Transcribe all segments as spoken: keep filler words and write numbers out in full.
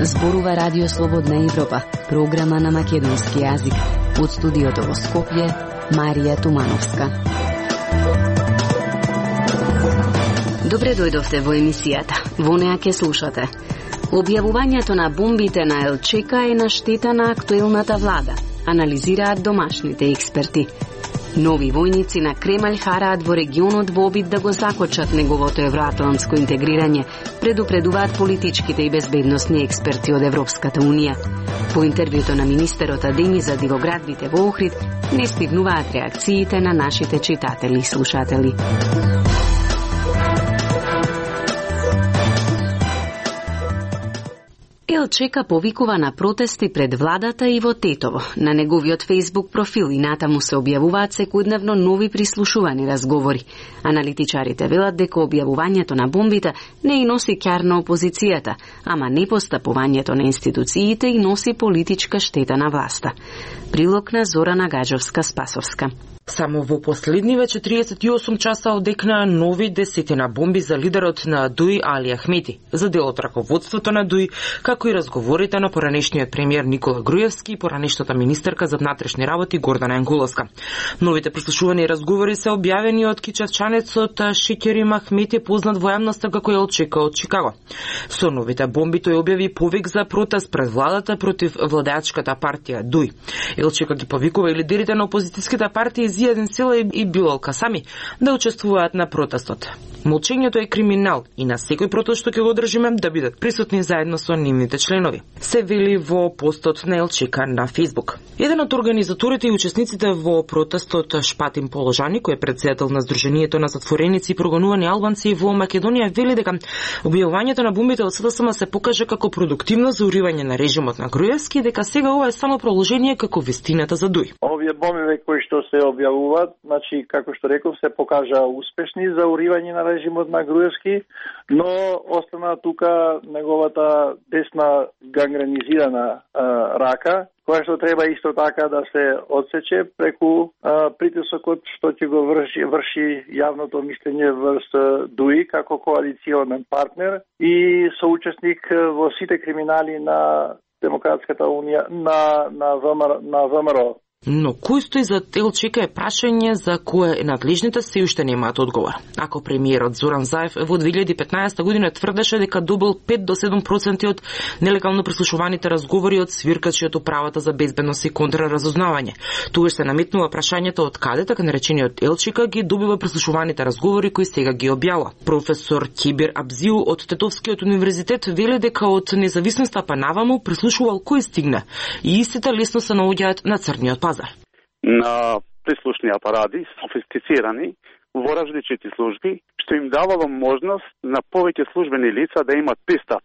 Зборува Радио Слободна Европа, програма на македонски јазик. Од студиото во Скопје, Марија Тумановска. Добре дојдовте во емисијата. Во неа ке слушате. Објавувањето на бомбите на Елчека е на штета на актуелната влада, анализираат домашните експерти. Нови војници на Кремљ хараат во регионот во обид да го закочат неговото евроатлантско интегрирање, предупредуваат политичките и безбедносни експерти од Европската Унија. По интервјуто на министерот Адеми за дивоградбите во Охрид не стигнуваат реакциите на нашите читатели и слушатели. Елчека повикува на протести пред владата и во Тетово. На неговиот Facebook профил и натаму се објавуваат секојдневно нови прислушувани разговори. Аналитичарите велат дека објавувањето на бомбите не и носи ќар на опозицијата, ама непостапувањето на институциите и носи политичка штета на власта. Прилог на Зорана Гаджовска-Спасовска. Само во последниве четириесет и осум часа одекнаа нови десетина бомби за лидерот на ДУИ Али Ахмети, за дел од раководството на ДУИ, како и разговорите на поранешниот премиер Никола Груевски и поранешната министерка за внатрешни работи Гордана Ангуловска. Новите прислушувани разговори се објавени од кичевчанецот Шекерим Ахмети, познат во јавноста како Елчека од Чикаго. Со новите бомби тој објави повик за протест пред владата против владеачката партија ДУИ. Елчека ги повикува и лидерите на опозицијските партии Зијадин Села и Билал Касами да учествуваат на протестот. Молчењето е криминал и на секој протест што ќе го одржиме да бидат присутни заедно со нивните членови, се вели во постот на Елчека на Facebook. Еден од организаторите и учесниците во протестот Шпатин Положани, кој е председател на Сдруженијето на затвореници и прогонувани албанци во Македонија, вели дека објавувањето на бомбите од СДСМ се покаже како продуктивно за уривање на режимот на Груевски, дека сега ова е само продолжение како вистината за ДУИ. Овие бомби кои што се објавуваат, значи како што реков, се покажа успешни за уривање на режимот на Груевски, но остана тука неговата десна гангренизирана а, рака, која што треба исто така да се одсече преку а, притисокот што ќе го врши, врши јавното мислење врз ДУИ како коалиционен партнер и соучесник во сите криминали на Демократската унија, на на ВМРО, на ВМРО. Но кој стои за Елчека е прашање за кое надлежните се уште немаат одговор. Ако премиерот Зоран Заев во две илјади и петнаесета година тврдеше дека добил пет до седум проценти од нелегално прислушуваните разговори од свиркачи од управата за безбедност и контраразузнавање, тогаш се наметнува прашањето од каде така наречениот Елчека ги добива прислушуваните разговори кои сега ги објавува. Професор Кибир Абзиу од Тетовскиот универзитет вели дека од независноста па наваму прислушувал кој стигне и истите лесно се наоѓаат на црниот пазар. На прислушни апарати, софистицирани во различити служби, што им давало можност на повеќе службени лица да имат пристап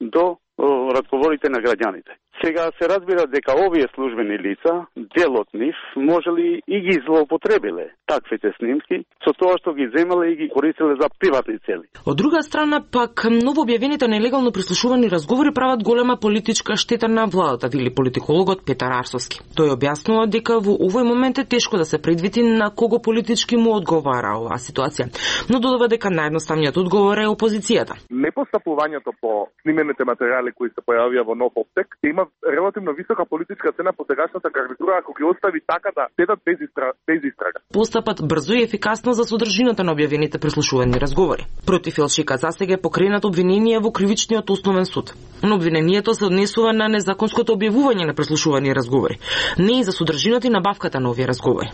до разговорите на граѓаните. Сега се разбира дека овие службени лица, дел од нив, можели и ги злоупотребиле таквите снимки, со тоа што ги земале и ги користеле за приватни цели. Од друга страна, пак, новообјавените нелегално прислушувани разговори прават голема политичка штета на владата, вели политикологот Петар Арсовски. Тој објаснува дека во овој момент е тешко да се предвиди на кого политички му одговара оваа ситуација, но додава дека наједноставниот одговор е опозицијата. Непостапувањето по снимените материјали кои се појавија во нов обсек има релативно висока политичка цена по сегашната гарнитура ако ги остави така да седат без, истра... без истрага. Постапат брзо и ефикасно за содржината на објавените прислушувани разговори. Против Елчека засега е покренат обвинение во кривичниот основен суд. Но обвинението се однесува на незаконското објавување на прислушувани разговори, не и за содржината и набавката на овие разговори.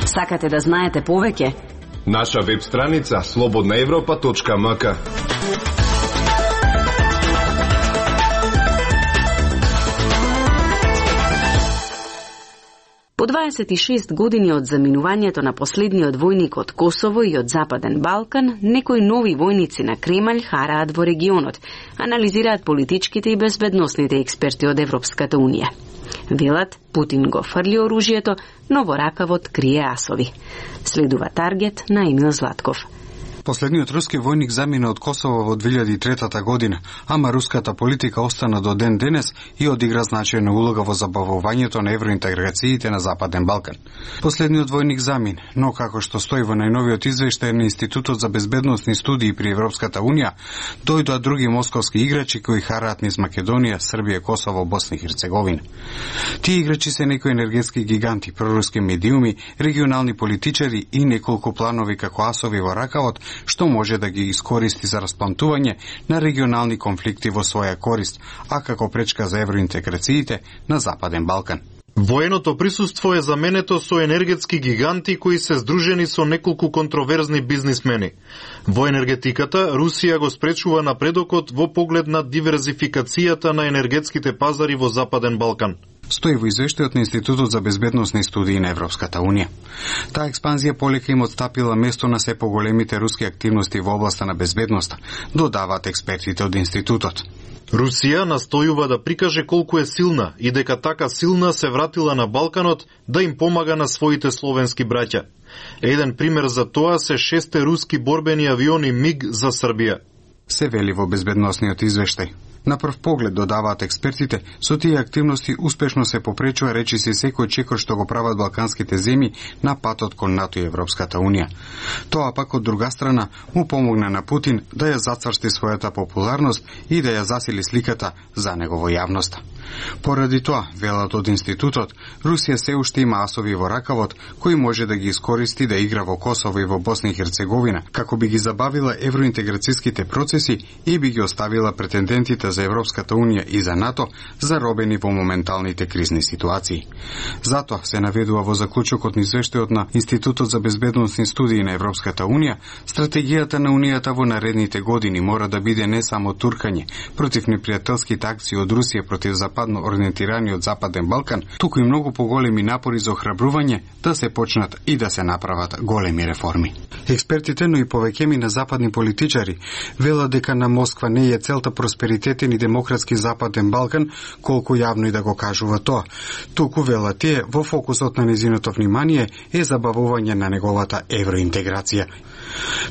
Сакате да знаете повеќе? Наша веб страница слободна европа точка ем ка. По дваесет и шест години од заминувањето на последниот војник од Косово и од Западен Балкан, некои нови војници на Кремљ хараат во регионот, анализираат политичките и безбедносните експерти од Европската Унија. Велат, Путин го фрли оружјето, но во ракавот крие асови. Следува Таргет на Емил Златков. Последниот руски војник замина од Косово во две илјади и трета година, ама руската политика остана до ден денес и одигра значајна улога во забавувањето на евроинтеграциите на Западен Балкан. Последниот војник замин, но како што стои во најновиот извештај на Институтот за безбедносни студии при Европската Унија, дојдоа други московски играчи кои хараат низ Македонија, Србија, Косово, Босна и Херцеговина. Тие играчи се некои енергетски гиганти, проруски медиуми, регионални политичари и неколку планови како асови во ракавот, што може да ги искористи за расплантување на регионални конфликти во своја корист, а како пречка за евроинтеграциите на Западен Балкан. Военото присуство е заменето со енергетски гиганти кои се здружени со неколку контроверзни бизнисмени. Во енергетиката, Русија го спречува напредокот во поглед на диверзификацијата на енергетските пазари во Западен Балкан. Стои во извештајот на Институтот за безбедносни студии на Европската Унија. Таа експанзија полека им отстапила место на се поголемите руски активности во областа на безбедноста, додаваат експертите од институтот. Русија настојува да прикаже колку е силна и дека така силна се вратила на Балканот да им помага на своите словенски браќа. Еден пример за тоа се шесте руски борбени авиони МиГ за Србија. Се вели во безбедносниот извештај. На прв поглед, додаваат експертите, со тие активности успешно се попречува речиси секој чекор што го прават балканските земји на патот кон НАТО и Европската Унија. Тоа пак од друга страна му помогна на Путин да ја зацврсти својата популарност и да ја засили сликата за него во јавноста. Поради тоа, велат од институтот, Русија се уште има асови во ракавот кои може да ги искористи да игра во Косово и во Босна и Херцеговина, како би ги забавила евроинтеграцијските процеси и би ги оставила претендентите за Европската Унија и за НАТО заробени во моменталните кризни ситуации. Затоа се наведува во заклучокот на извештајот на Институтот за безбедносни студии на Европската Унија, стратегијата на Унијата во наредните години мора да биде не само туркање против непријателските акции од Русија против западно ориентираниот Западен Балкан, туку и многу поголеми напори за охрабрување да се почнат и да се направат големи реформи. Експертите, но и повеќеми на западни политичари велат дека на Москва не е целта просперитет и демократски Западен Балкан, колку јавно и да го кажува тоа. Туку велат тие во фокусот на незиното внимание е забавување на неговата евроинтеграција.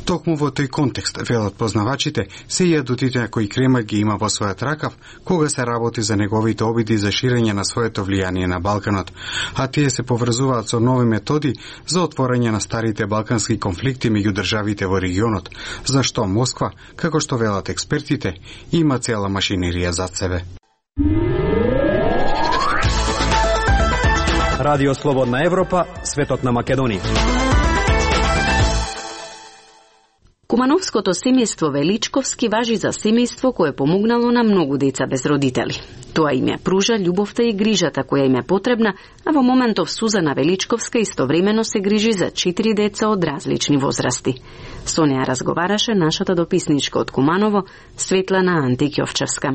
Токму во тој контекст, велат познавачите, се и адутите кои Кремљ ги има во својот ракав, кога се работи за неговите обиди за ширење на своето влијание на Балканот, а тие се поврзуваат со нови методи за отворање на старите балкански конфликти меѓу државите во регионот, зашто Москва, како што велат експертите, има цела машинерија зад себе. Радио Слободна Европа, светот на Македонија. Кумановското семејство Величковски важи за семејство кое помогнало на многу деца без родители. Тоа им ја пружа љубовта и грижата која им е потребна, а во моментов Сузана Величковска истовремено се грижи за четири деца од различни возрасти. Со неа разговараше нашата дописничка од Куманово, Светлана Антиќовчевска.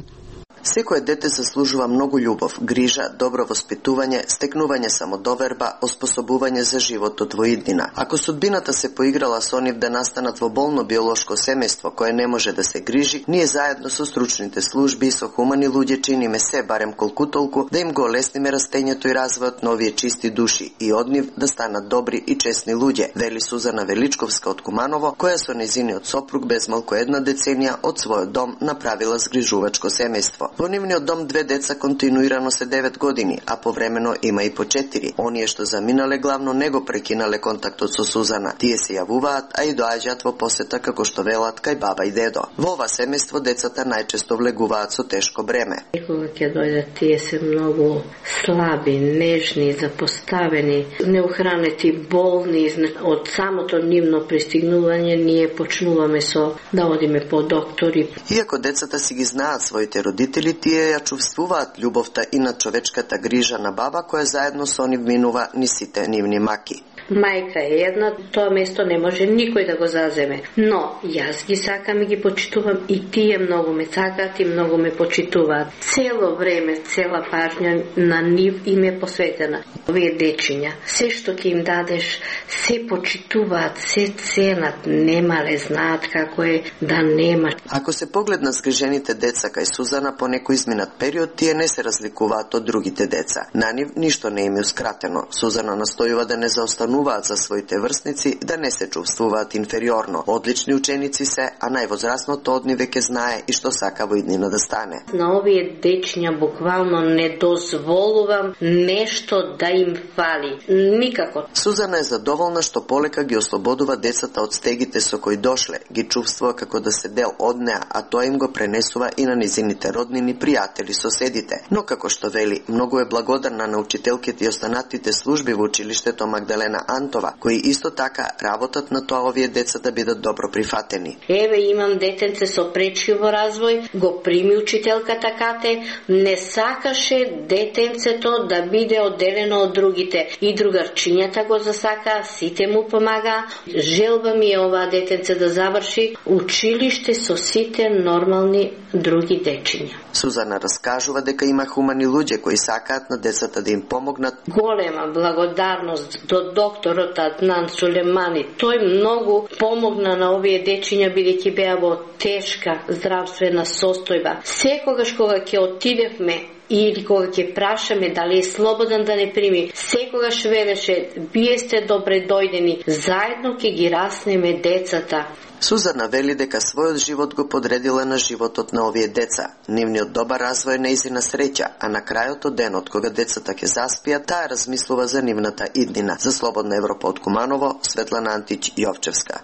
Секое дете заслужува многу љубов, грижа, добро воспитување, стекнување самодоверба, оспособување за животот во иднина. Ако судбината се поиграла со нив да настанат во болно биолошко семејство кое не може да се грижи, ние заедно со стручните служби и со хумани луѓе чиниме се барем колку толку да им го олесниме растењето и развојот на овие чисти души и од нив да станат добри и честни луѓе, вели Сузана Величковска од Куманово, која со незиниот сопруг без малку една деценија од својот дом направила згрижувачко семејство. Во нивниот дом две деца континуирано се девет години, а повремено има и по четири. Оние што заминале главно не го прекинале контактот со Сузана. Тие се јавуваат, а и доаѓаат во посета како што велат кај баба и дедо. Во ова семејство децата најчесто влегуваат со тешко бреме. Кога ќе дојдат, тие се многу слаби, нежни, запоставени, неухранети, болни. Од самото нивно пристигнување ние почнуваме со да одиме по доктори. Иако децата си ги знаат своите родители, тие ја чувствуваат љубовта и на човечката грижа на баба која заедно со нив минува ни сите нивни маки. Мајка е една, тоа место не може никој да го заземе. Но јас ги сакам и ги почитувам и тие многу ме сакаат и многу ме почитуваат. Цело време, цела пажња на нив им е посветена. Овие дечиња, се што ќе им дадеш, се почитуваат, се ценат, немале, знаат како е да нема. Ако се погледна згрижените деца кај Сузана по некој изминат период, тие не се разликуваат од другите деца. На нив ништо не им е ускратено. Сузана настојува да не заостануваат зборуваат за своите врсници да не се чувствуваат инфериорно. Одлични ученици се, а највозрасното од нив веќе знае и што сака во иднина да стане. На овие дечиња буквално не дозволувам нешто да им фали. Никако. Сузана е задоволна што полека ги ослободува децата од стегите со кои дошле, ги чувствува како да се дел од неа, а тоа им го пренесува и на низините роднини, пријатели, соседите. Но како што вели, многу е благодарна на учителките и останатите служби во училиштето Магдалена Антова, кои исто така работат на тоа овие деца да бидат добро прифатени. Еве имам детенце со пречиво развој, го прими учителката кате, не сакаше детенцето да биде одделено од другите. И другарчињата го засака, сите му помага. Желба ми е оваа детенце да заврши училиште со сите нормални други дечиња. Сузана раскажува дека има хумани луѓе кои сакаат на децата да им помогнат. Голема благодарност до докторот Аднан Сулемани. Тој многу помогна на овие дечиња бидејќи беа во тешка здравствена состојба. Секогаш кога ќе отидевме или кога ќе прашаме дали е слободен да не прими, секогаш велеше: вие сте добре дојдени, заедно ќе ги раснеме децата. Сузана вели дека својот живот го подредила на животот на овие деца. Нивниот добар развој е нејзина среќа, а на крајот од денот кога децата ќе заспијат, таа размислува за нивната иднина. За Слободна Европа од Куманово, Светлана Антич Јовчевска.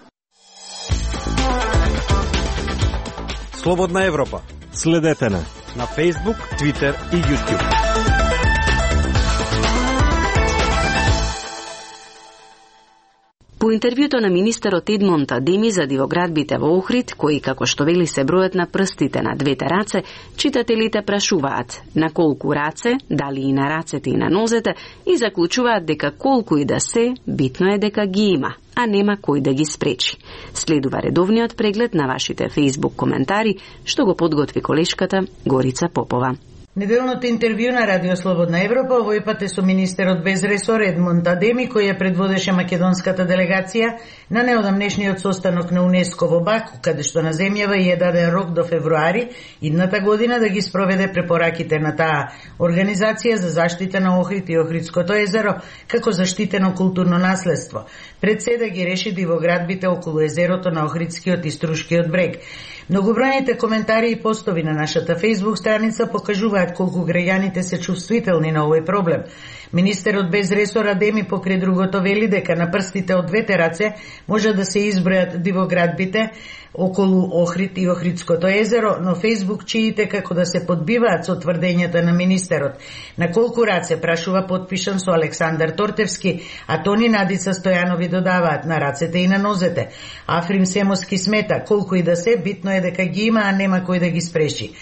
Слободна Европа. Следете на на Facebook, Twitter и YouTube. По интервјуто на министерот Едмонд Адеми за дивоградбите во Охрид, кои како што вели се бројат на прстите на двете раце, читателите прашуваат на колку раце, дали и на рацете и на нозете, и заклучуваат дека колку и да се, битно е дека ги има, а нема кој да ги спречи. Следува редовниот преглед на вашите Facebook коментари, што го подготви колешката Горица Попова. Неделното интервју на Радио Слободна Европа овој пат е со министерот без ресор Едмонд Адеми, кој ја предводеше македонската делегација на неодамнешниот состанок на УНЕСКО во Баку, каде што на земјава ја даде рок до февруари идната година да ги спроведе препораките на таа организација за заштита на Охрид и Охридското езеро како заштитено културно наследство. Пред се да ги реши дивоградбите околу езерото на Охридскиот и Струшкиот брег. Многобројните коментари и постови на нашата Facebook страница покажуваат колку граѓаните се чувствителни на овој проблем. Министерот без ресор Адеми покрај другото вели дека на прстите од двете раце може да се избројат дивоградбите околу Охрид и Охридското езеро, но Facebook чиите како да се подбиваат со тврдењата на министерот. На колку раце, прашува подпишан со Александар Тортевски, а Тони Надица Стојанови додаваат на рацете и на нозете. Африм Семоски смета, колку и да се, битно е дека ги има, а нема кој да ги спреши.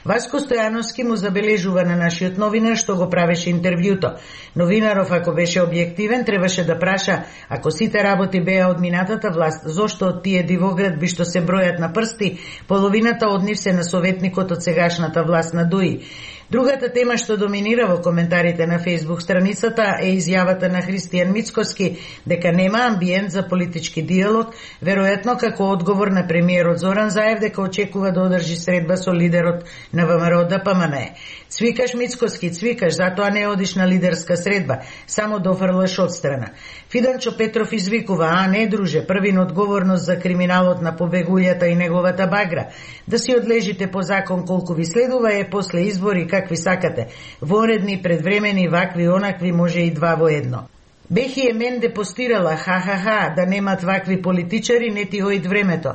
Васко Стојановски му забележува на нашиот новинар што го правеше интервјуто. Новинаров, ако беше објективен, требаше да праша, ако сите работи беа од минатата власт, зошто од тие дивоградби што се бројат на прсти, половината од нив се на советникот од сегашната власт на Дуи. Другата тема што доминира во коментарите на Facebook страницата е изјавата на Христијан Мицкоски дека нема амбиент за политички диалог, веројатно како одговор на премиерот Зоран Заев дека очекува да одржи средба со лидерот на ВМРО Д П М Н Е. Цвикаш Мицкоски, цвикаш, затоа не одиш на лидерска средба, само дофрлаш одстрана. Фиданчо Петров извикува: а не друже, првин одговорност за криминалот на побегулјата и неговата багра. Да си одлежите по закон колку ви следува е после избори какви сакате. Воредни, предвремени, вакви, онакви, може и два во едно. Бехи е Менде постирала, ха-ха-ха, да немат вакви политичари, не ти оид времето.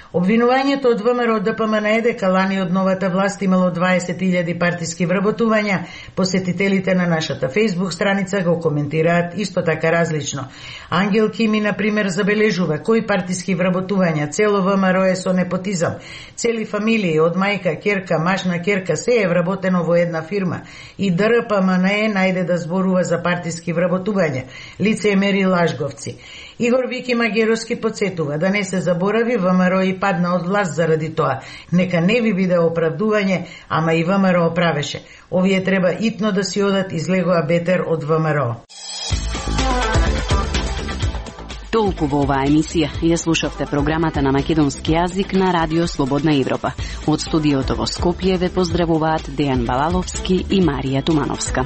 Обвинувањето од ВМРО Д П М Н Е дека лани од новата власт имало дваесет илјади партиски вработувања, посетителите на нашата Facebook страница го коментираат исто така различно. Ангел Кими, например, забележува кои партиски вработувања, цело ВМРО е со непотизам, цели фамилии од мајка, керка, машна, керка, се е вработено во една фирма. И Д Р П М Н Е најде да зборува за партиски вработувања, лицемери лажговци. Игор Вики Магеровски подсетува да не се заборави, ВМРО и падна од власт заради тоа. Нека не ви биде оправдување, ама и ВМРО правеше. Овие треба итно да си одат, излегоа бетер од ВМРО. Толку во оваа емисија. Ја слушавте програмата на македонски јазик на Радио Слободна Европа. Од студиото во Скопје ве поздравуваат Дејан Балаловски и Марија Тумановска.